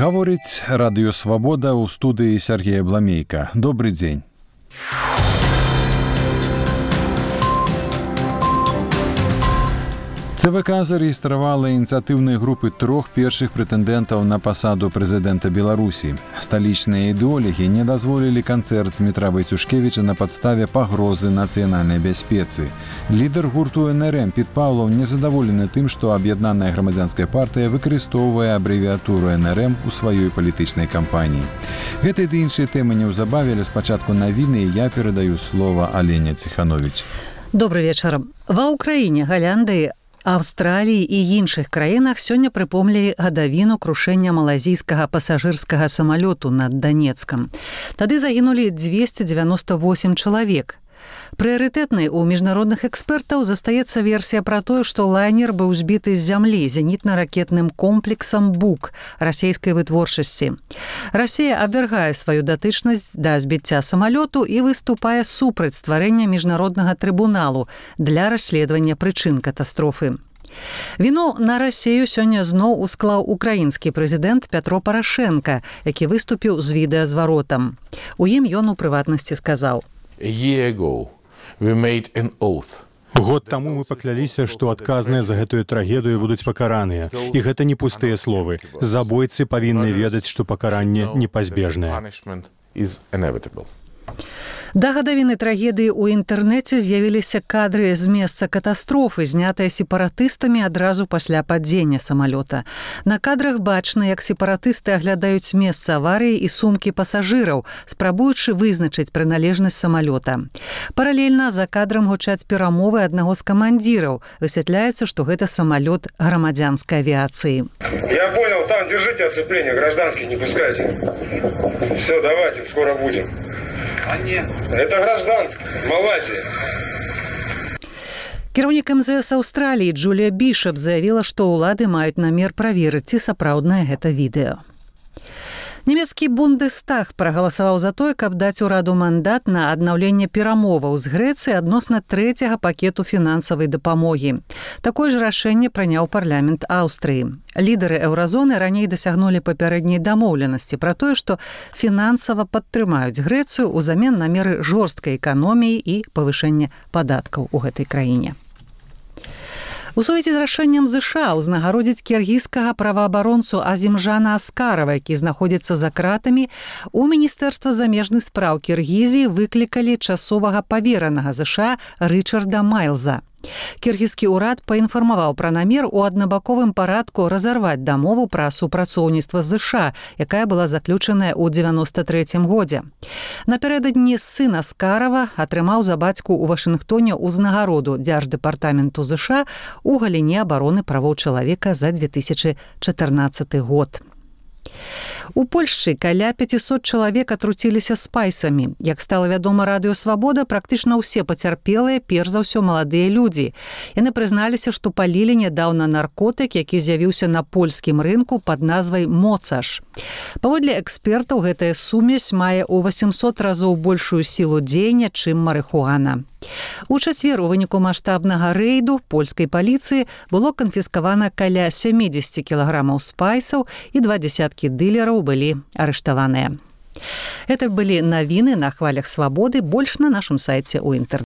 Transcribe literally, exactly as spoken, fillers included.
Гаворыць радыё «Свабода» ў студыі Сергея Бламейка. Добры дзень. ЦВК зарэгістравала ініцыятыўныя групы трох першых прэтэндэнтаў на пасаду прэзідэнта Беларусі. Сталічныя ідэолагі не дазволілі канцэрт Дмітра Войцюшкевіча на падставе пагрозы нацыянальнай бяспецы. Лідар гурту эн эр эм Піт Паўлаў незадаволены тым, што аб'яднаная грамадзянская партыя выкарыстоўвае абрэвіятуру эн эр эм у сваёй палітычнай кампаніі. Гэтыя ды іншыя тэмы неўзабаве, але спачатку навіны, і я перадаю слова Алене Ціхановіч. Добрый вечар. Ва Ўкраіне, Галяндыі, Аўстраліі і іншых краінах сёння прыпомнілі гадавіну крушэння малайзійскага пасажырскага самалёту над Данецкам. Тады загінулі дзвесце дзевяноста восем чалавек. Прыярытэтнай у міжнародных экспертаў застаецца версія пра тое, што лайнер быў збіты з зямлі зенітна-ракетным комплексам «Бук» расійскай вытворчасці. Расія абвяргае сваю датычнасць да збіцця самалёту і выступае супраць стварэння міжнароднага трыбуналу для расследавання прычын катастрофы. Віну на Расію сёння зноў усклаў украінскі прэзідэнт Пятро Парашенка, які выступіў з відэазваротам. У ім ён у прыватнасці сказаў: Год таму мы пакляліся, што адказныя за гэтую трагедыю будуць пакараныя. І гэта не пустыя словы. Забойцы павінны ведаць, што пакаранне непазбежнае. Да гадавіны трагедыі ў інтэрнэце з'явіліся кадры з месца катастрофы, знятыя сепаратыстамі адразу пасля падзення самалёта. На кадрах бачна, як сепаратысты аглядаюць месца аварыі і сумкі пасажыраў, спрабуючы вызначыць прыналежнасць самалёта. Паралельна за кадрам гучаць перамовы аднаго з камандзіраў. Высвятляецца, што гэта самалёт грамадзянскай авіяцыі. Я понял, там держите оцепление, гражданских не пускайте. Все, давайте, скоро будем. А нет. Это гражданский. Малайзия. Кіраўнік эм зэ эс Аўстраліі Джулія Бішап заявіла, што ўлады маюць намер праверыць, ці сапраўднае гэта відэо. Нямецкі Бундестаг прагаласаваў за тое, каб даць ураду мандат на аднаўленне перамоваў з Грэцыяй адносна трэцяга пакету фінансавай дапамогі. Такое ж рашэнне прыняў парламент Аўстрыі. Лідары еўразоны раней дасягнулі папярэдняй дамоўленасці пра тое, што фінансава падтрымаюць Грэцыю ўзамен на меры жорсткай эканоміі і павышэння падаткаў у гэтай краіне. У сувязі з рашэннем ЗША ўзнагародзіць кіргізскага праваабаронцу Азімжана Аскарава, які знаходзіцца за кратамі, у Міністэрства замежных спраў Кіргізіі выклікалі часовага паверанага ЗША Рычарда Майлза. Кіргізскі ўрад паінфармаваў пра намер у аднабаковым парадку разарваць дамову пра супрацоўніцтва з ЗША, якая была заключаная ў дзевяноста трэцім годзе. Напярэдадні сын Аскарава атрымаў за бацьку ў Вашынгтоне ўзнагароду Дзярждэпартаменту ЗША у галіне абароны правоў чалавека за дзве тысячы чатырнаццаты год. У Польшчы каля пяцісот чалавек атруціліся спайсамі. Як стала вядома радыё «Свабода», практычна ўсе пацярпелыя, перш за ўсё маладыя людзі. Яны прызналіся, што палілі нядаўна наркотык, які з'явіўся на польскім рынку пад назвай «Моцаш». Паводле экспертаў, гэтая сумесь мае ў васемсот разоў большую сілу дзеяння, чым марыхуана. У чацвер у выніку маштабнага рэйду польскай паліцыі было канфіскавана каля сямдзесят кілаграмаў спайсаў і два дзесяткі дылераў былі арыштаваныя. Это былі навіны на хвалях «Свабоды», больш на нашым сайце ў інтэрнэце.